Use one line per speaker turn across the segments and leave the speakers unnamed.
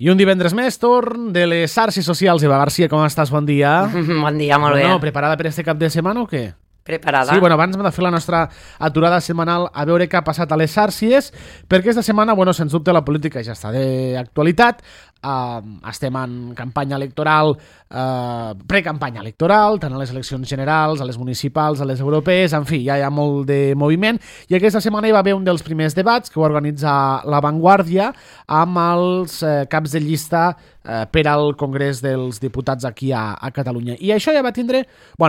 I un divendres més, torn de les xarxes socials. Eva Garcia, com estàs? Bon dia.
Bon dia, molt bé.
Preparada per este cap de setmana o què?
Preparada.
Sí, abans hem de fer la nostra aturada setmanal a veure què ha passat a les xarxes, perquè esta setmana, sens dubte, la política ja està d'actualitat. Estem en campanya electoral, precampanya electoral, tant a les eleccions generals, a les municipals, a les europees, en fi, ja hi ha molt de moviment. I aquesta setmana hi va haver un dels primers debats que va organitzar La Vanguardia amb els caps de llista per al Congrés dels Diputats aquí a Catalunya. I això ja va tindre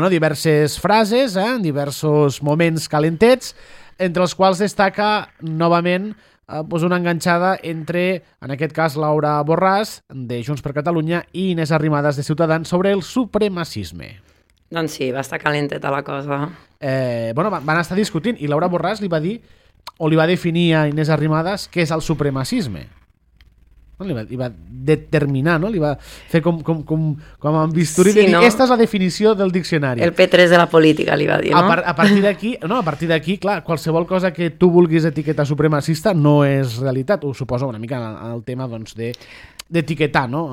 diverses frases, diversos moments calentets, entre els quals destaca novament una enganxada entre, en aquest cas, Laura Borràs, de Junts per Catalunya, i Inés Arrimadas, de Ciutadans, sobre el supremacisme.
Doncs sí, va estar calenteta la cosa.
Van estar discutint, i Laura Borràs li va dir, o li va definir a Inés Arrimadas, què és el supremacisme. Li va determinar, no? Li va fer com amb bisturí, sí, de dir, esta és la definició del diccionari.
El P3 de la política, li va dir, no?
A partir d'aquí, clar, qualsevol cosa que tu vulguis etiquetar supremacista no és realitat. Ho suposo una mica en el tema d'etiquetar, no?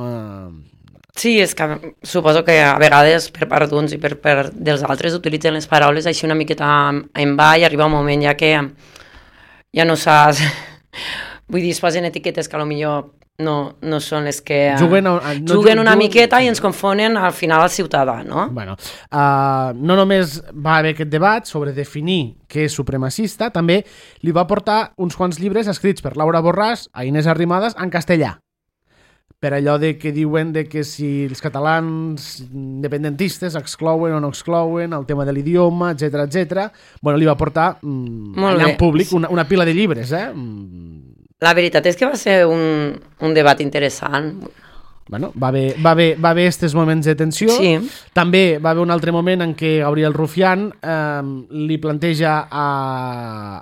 Sí, és que suposo que a vegades per part d'uns i per part dels altres utilitzen les paraules així una miqueta en va i arriba un moment ja que ja no saps... Vull dir, es posen etiquetes que potser no són les que juguen una miqueta i ens confonen al final al ciutadà, no?
No només va haver aquest debat sobre definir què és supremacista, també li va portar uns quants llibres escrits per Laura Borràs a Inés Arrimadas en castellà, per allò de que diuen de que si els catalans independentistes exclouen o no exclouen, el tema de l'idioma, etc. Li va portar allà en públic una pila de llibres,
La veritat és que va ser un debat interessant.
Va haver estos moments de tensió.
Sí.
També va haver un altre moment en què Gabriel Rufián li planteja,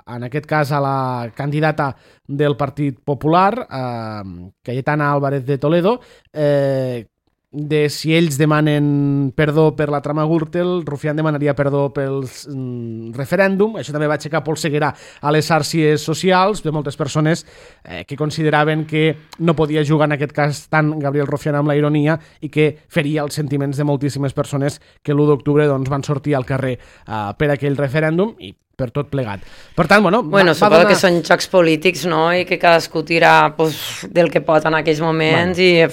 en aquest cas, a la candidata del Partit Popular, Cayetana Álvarez de Toledo, de si ells demanen perdó per la trama Gürtel, Rufián demanaria perdó pel referèndum. Això també va aixecar polseguera a les xarxes socials de moltes persones que consideraven que no podia jugar en aquest cas tant Gabriel Rufián amb la ironia i que feria els sentiments de moltíssimes persones que l'1 d'octubre van sortir al carrer per aquell referèndum i per tot plegat. Per tant,
suposo que són jocs polítics, no? I que cadascú tira del que pot en aquells moments i...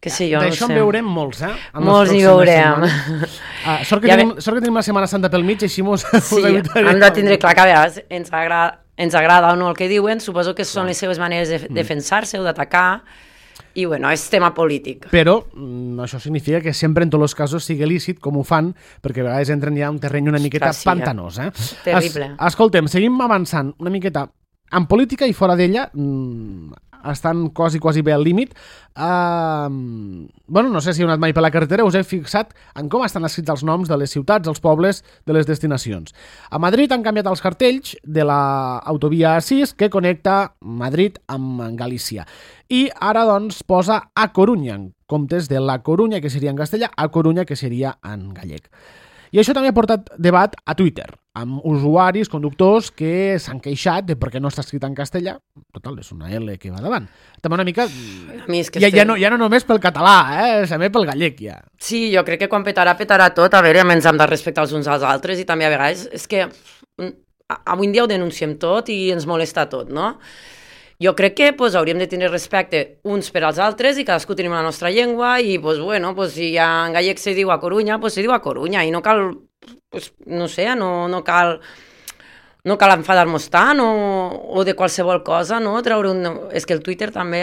que sí, jo no sé.
D'això en veurem molts,
Molts hi veurem.
Sort que tenim la Setmana Santa pel mig, així mos evitarem.
Hem de tindre clar que a vegades ens agrada o no el que diuen, suposo que són les seves maneres de defensar-se o d'atacar, i és tema polític.
Però això significa que sempre en tots els casos sigui lícit, com ho fan, perquè a vegades entren ja un terreny una miqueta pantanós.
Terrible.
Escoltem, seguim avançant una miqueta en política i fora d'ella, estan quasi bé al límit. No sé si heu anat mai per la carretera, us heu fixat en com estan escrits els noms de les ciutats, dels pobles, de les destinacions. A Madrid han canviat els cartells de l'autovia A6 que connecta Madrid amb Galícia. I ara, posa A Corunya, en comptes de La Corunya, que seria en castellà, A Corunya, que seria en gallec. I això també ha portat debat a Twitter, amb usuaris, conductors, que s'han queixat de per què no està escrit en castellà. Total, és una L que va davant. També una mica... Ja no només pel català, també pel gallec, ja.
Sí, jo crec que quan petarà tot. A veure, ens hem de respectar els uns als altres i també a vegades és que avui en dia ho denunciem tot i ens molesta tot, no? Jo crec que hauríem de tenir respecte uns per als altres i cadascú tenim la nostra llengua i, si en gallec se diu a Corunya, se diu a Corunya i no cal, no cal enfadar-nos tant o de qualsevol cosa, no? És que el Twitter també...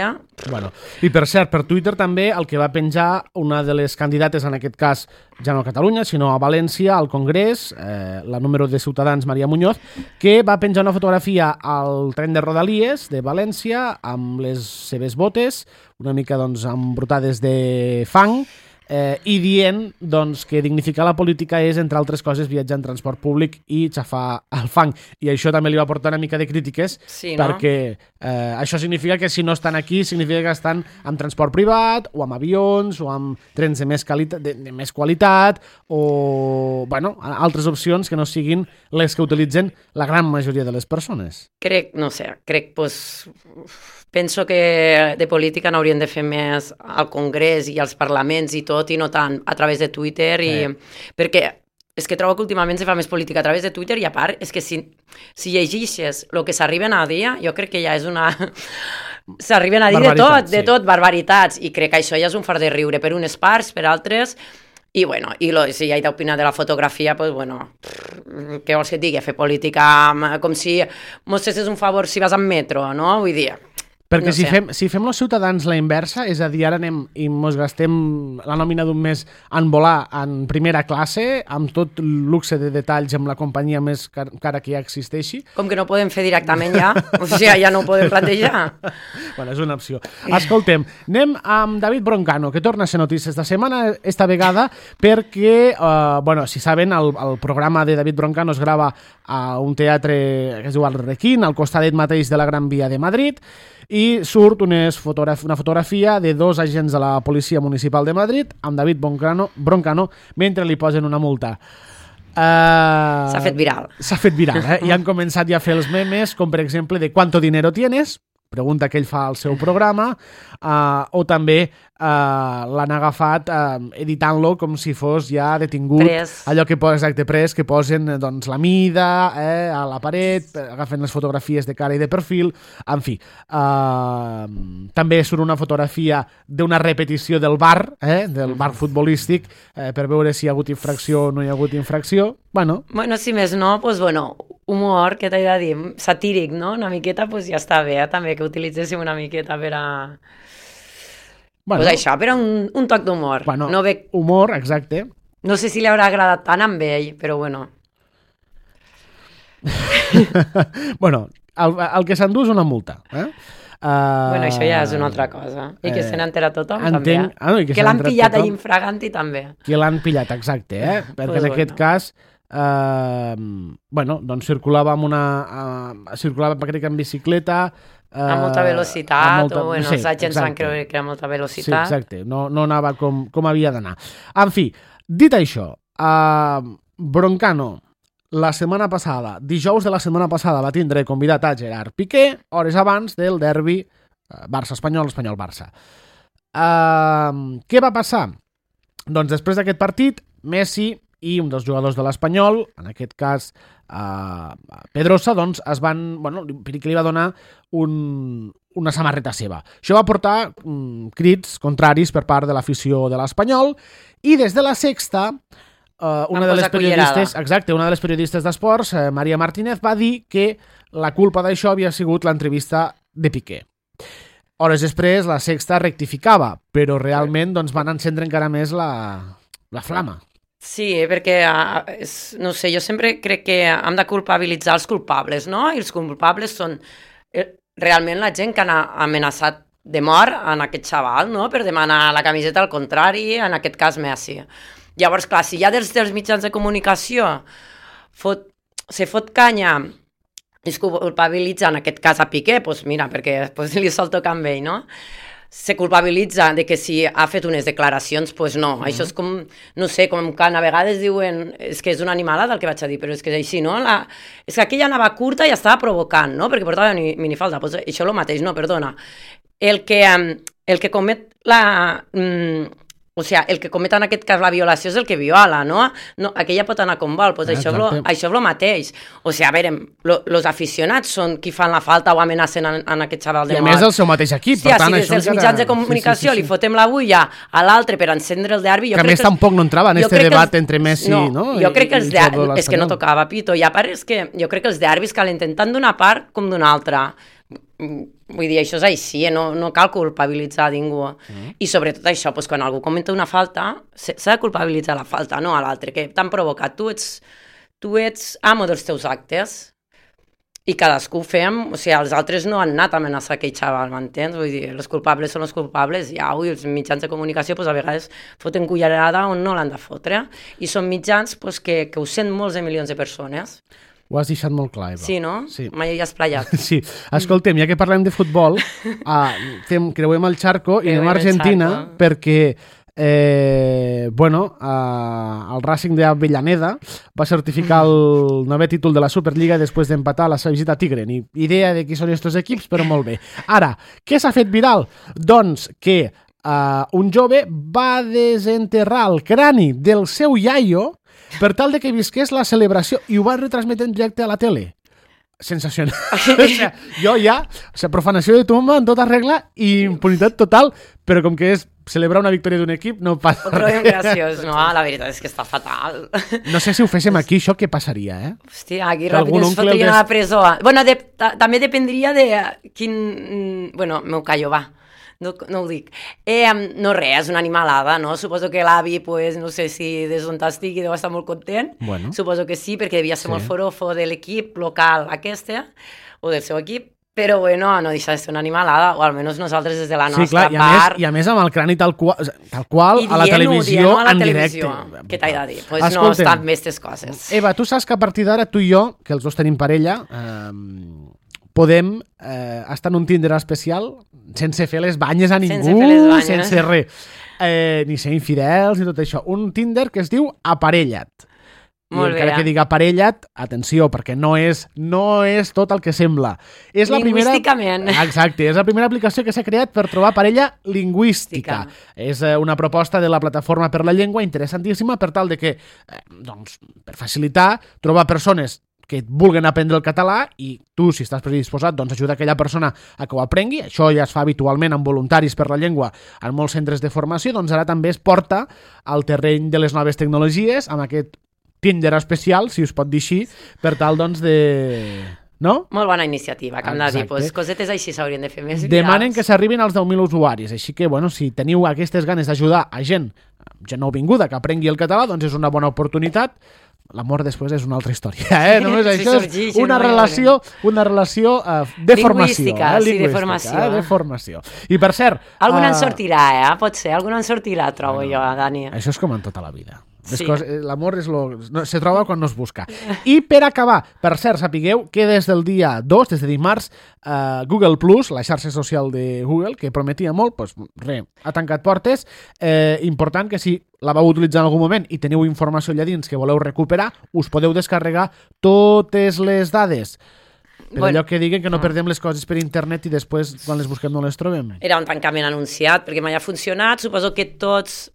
I per cert, per Twitter també el que va penjar una de les candidates, en aquest cas ja no a Catalunya, sinó a València, al Congrés, la número de Ciutadans, Maria Muñoz, que va penjar una fotografia al tren de Rodalies de València amb les seves botes, una mica embrutades de fang, i dient que dignificar la política és, entre altres coses, viatjar en transport públic i xafar el fang. I això també li va portar una mica de crítiques, perquè això significa que si no estan aquí, significa que estan amb transport privat, o amb avions, o amb trens de més qualitat, o altres opcions que no siguin les que utilitzen la gran majoria de les persones.
Crec, penso que de política n'haurien de fer més al Congrés i als parlaments i tot, i no tant a través de Twitter, perquè és que trobo que últimament se fa més política a través de Twitter, i a part, és que si llegeixes el que s'arriben a dir, jo crec que ja és una... S'arriben a dir de tot, barbaritats, i crec que això ja és un fart de riure per unes parts, per altres, i bueno, si hi ha d'opinar de la fotografia, doncs bueno, què vols que et digui? Fer política com si mos fessis un favor si vas amb metro, no? Vull dir...
Perquè no si fem els ciutadans la inversa, és a dir, ara anem i mos gastem la nòmina d'un mes en volar en primera classe, amb tot luxe de detalls, amb la companyia més cara que ja existeixi.
Com que no podem fer directament ja? O sigui, ja no ho podem plantejar.
Bueno, és una opció. Escoltem, anem amb David Broncano, que torna a ser notícies esta setmana, esta vegada, perquè, bueno, si saben, el programa de David Broncano es grava a un teatre que es diu El Requín, al costadet mateix de la Gran Via de Madrid, i surt una fotografia de 2 agents de la Policia Municipal de Madrid amb David Broncano mentre li posen una multa.
S'ha fet viral.
S'ha fet viral, I han començat ja a fer els memes, com per exemple de ¿cuánto dinero tienes? Pregunta que ell fa al seu programa, o també l'han agafat editant-lo com si fos ja detingut.
Pres.
Allò que pres, que posen doncs, la mida a la paret, agafen les fotografies de cara i de perfil, en fi. També surt una fotografia d'una repetició del bar, del bar futbolístic, per veure si hi ha hagut infracció o no hi ha hagut infracció. Bueno,
si més no, doncs, bueno, humor, que t'he de dir, satíric, no? Una miqueta, doncs ja està bé, també, que utilitzéssim una miqueta per a... Bueno, pues això, per a un toc d'humor.
Bueno,
no veig...
humor, exacte.
No sé si li haurà agradat tant amb ell, però bueno.
Bueno, el que s'endú és una multa,
Bueno, això ja és una altra cosa. I que se n'entera tothom,
entenc,
també.
Que
l'han pillat allà infraganti, també.
Que l'han pillat, exacte, perquè en aquest cas... bueno, doncs circulava crec que en bicicleta,
a molta velocitat, o bueno, els agents van creure que era molta velocitat.
Sí, exacte, no anava com havia d'anar. En fi, dit això, Broncano, la setmana passada, dijous de la setmana passada, va tindre convidat a Gerard Piqué, hores abans del derbi Barça-Espanyol, Espanyol-Barça. Què va passar? Doncs després d'aquest partit, Messi i un dels jugadors de l'Espanyol, en aquest cas Pedrosa, doncs es van... Bueno, Piqué li va donar una samarreta seva. Això va portar crits contraris per part de l'afició de l'Espanyol, i des de la Sexta, una de les periodistes d'esports, Maria Martínez, va dir que la culpa d'això havia sigut l'entrevista de Piqué. Hores després, la Sexta rectificava, però realment doncs, van encendre encara més la flama.
Sí, perquè, no sé, jo sempre crec que hem de culpabilitzar els culpables, no? I els culpables són realment la gent que han amenaçat de mort en aquest xaval, no? Per demanar la camiseta al contrari, en aquest cas Messi. Llavors, clar, si ja dels mitjans de comunicació se fot canya i es culpabilitza en aquest cas a Piqué, doncs mira, perquè li sol tocar amb ell, no? Se culpabilitza de que si ha fet unes declaracions, doncs no. Això és com, no sé, com que a vegades diuen és que és una animalada el que vaig a dir, però és que és així, no? És que aquella anava curta i estava provocant, no? Perquè portava minifalda. Doncs això és el mateix, no, perdona. El que comet el que comet en aquest cas la violació és el que viola, no? Aquella pot anar com vol, doncs això és el mateix. O sigui, a veure, els aficionats són qui fan la falta o amenacen en aquest xaval de mort.
I a més el seu mateix equip, per tant, això
els mitjans de comunicació li fotem la bulla a l'altre per encendre el derbi...
Que a més tampoc no entrava en este debat entre Messi, no?
Jo crec que els derbis... És que no tocava pito, i a part és que jo crec que els derbis calen tant d'una part com d'una altra. Vull dir, això és així, no cal culpabilitzar ningú. I sobretot això, doncs, quan algú comenta una falta, s'ha de culpabilitzar la falta, no a l'altre, que t'han provocat. Tu ets amo dels teus actes i cadascú fem, o sigui, els altres no han anat a amenaçar aquell xaval, m'entens? Vull dir, els culpables són els culpables, i els mitjans de comunicació doncs, a vegades foten cullerada on no l'han de fotre, i són mitjans doncs, que ho sent molts de milions de persones.
Ho has deixat molt clar, Eva.
Sí, no?
Sí.
Mai hi has playat.
Sí. Escoltem, ja que parlem de futbol, creuem el xarco i anem a Argentina perquè el Racing d'Avellaneda va certificar el 9è títol de la Superliga després d'empatar la seva visita a Tigre. Ni idea de qui són aquests equips, però molt bé. Ara, què s'ha fet viral? Doncs que un jove va desenterrar el crani del seu iaio per tal de que visqués la celebració i ho va retransmetre en directe a la tele. Sensacional. Jo ja, profanació de tumba en tota regla i impunitat total, però com que és celebrar una victòria d'un equip no passa res.
Ho trobem graciós, no? La veritat és que està fatal.
No sé si ho féssim aquí, això què passaria,
Hòstia, aquí ràpid ens fotrien a la presó. Bueno, també dependria de quin... Bueno, m'ho callo, va. No ho dic. No res, és una animalada, no? Suposo que l'avi, pues, no sé si des d'on estigui deu estar molt content.
Bueno.
Suposo que sí, perquè devia ser molt forofo de l'equip local aquesta, o del seu equip, però bueno, no deixa de ser una animalada, o almenys nosaltres des de la nostra part.
I a més amb el crani tal qual a la televisió en directe.
Què t'he de dir? Pues no estan més tes coses.
Eva, tu saps que a partir d'ara tu i jo, que els dos tenim parella, podem estar en un Tinder especial sense fer les banyes a ningú, sense res. Ni ser infidels ni tot això. Un Tinder que es diu Aparella't.
Molt bé.
Encara que diga aparella't, atenció, perquè no és tot el que sembla. És la
lingüísticament.
Exacte, és la primera aplicació que s'ha creat per trobar parella lingüística. És una proposta de la Plataforma per la Llengua interessantíssima per tal de que, per facilitar, trobar persones que vulguen aprendre el català i tu, si estàs predisposat, doncs ajuda aquella persona a que ho aprengui. Això ja es fa habitualment amb voluntaris per la llengua en molts centres de formació, doncs ara també es porta al terreny de les noves tecnologies amb aquest Tinder especial, si us pot dir així, per tal, doncs, de... No?
Molt bona iniciativa, que hem de dir. Pues, cosetes així s'haurien de fer més virals.
Demanen que s'arribin als 10.000 usuaris, així que, bueno, si teniu aquestes ganes d'ajudar a gent nouvinguda que aprengui el català, doncs és una bona oportunitat. L'amor després és una altra història, Només això és una relació de formació.
Lingüística,
de formació. I per cert...
Algun en sortirà, Pot ser, algun en sortirà, trobo jo, Dani.
Això és com en tota la vida. L'amor se troba quan no es busca. I per acabar, per cert, sapigueu que des del dia 2, des de dimarts, Google Plus, la xarxa social de Google, que prometia molt, doncs res, ha tancat portes. Important que si la vau utilitzar en algun moment i teniu informació allà dins que voleu recuperar, us podeu descarregar totes les dades. Per allò que diguen que no perdem les coses per internet i després, quan les busquem, no les trobem.
Era un tancament anunciat, perquè mai ha funcionat. Suposo que tots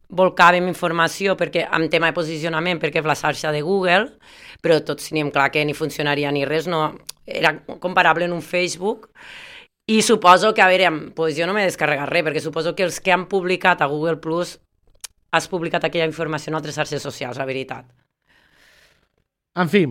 volcàvem informació amb tema de posicionament perquè és la xarxa de Google, però tots teníem clar que ni funcionaria ni res, no, era comparable en un Facebook. I suposo que, a veure, jo no m'he descarregat res, perquè suposo que els que han publicat a Google Plus has publicat aquella informació en altres xarxes socials, la veritat.
En fi,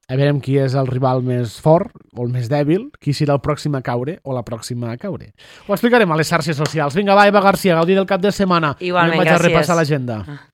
a veure qui és el rival més fort o el més dèbil, qui serà el pròxim a caure o la pròxima a caure. Ho explicarem a les xarxes socials. Vinga, va, Eva García, gaudir del cap de setmana.
Igualment,
gràcies. Vaig a repassar l'agenda.